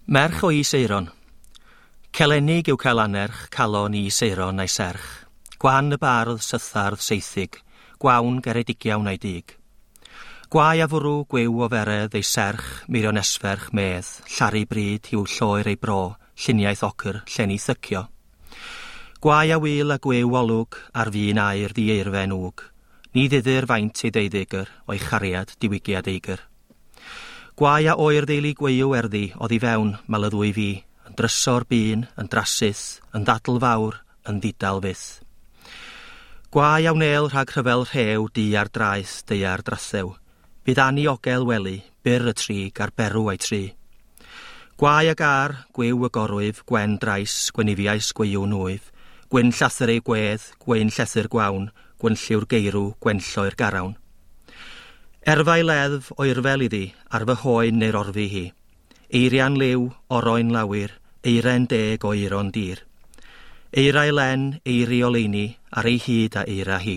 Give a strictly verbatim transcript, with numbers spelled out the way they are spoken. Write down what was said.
Merch o Is Aeron. Celenig yw cael anerch, calon i Is Aeron a'i serch. Gwan y bardd sythardd seithig, gwawn geredigiawn a'i dig. Gwae a fwrw gwiw o feredd ei serch, Meirion Esferch medd, llaru bryd hiw lloer ei bro, lluniaeth ocr, llenni thycio. Gwae a wil a gwiw olwg ar fin aur ddi-eirfen wg. Ni ddiddir faint ei ddeuddigr o'i chariad diwygiad eigr. Gwae a oer ddeulu gweiw erddi oddi fewn mal y ddwy fi, yn drysor bun, yn drasith, yn ddadl fawr, yn ddidal fyth. Gwae a wnel rhag rhyfel rhew du ar draeth deiar drathew. Bydd aniogel wely, byr y trig ar berw a'i tri. Gwae a gar, gwiw y gorwyf, gwen drais, gwenifiais gweiw nwyf, gwyn llathr ei gwedd, gwyn llethr gwawn, gwynlliw'r geirw, gwenllo'r garawn. Erfau leddf oerfel iddi, ar fy hoen neu'r orfu hi. Eirian liw, oroen lawyr, eiren deg o eiron dir. Eirau len, eiri oleini, ar ei hyd a eira hi.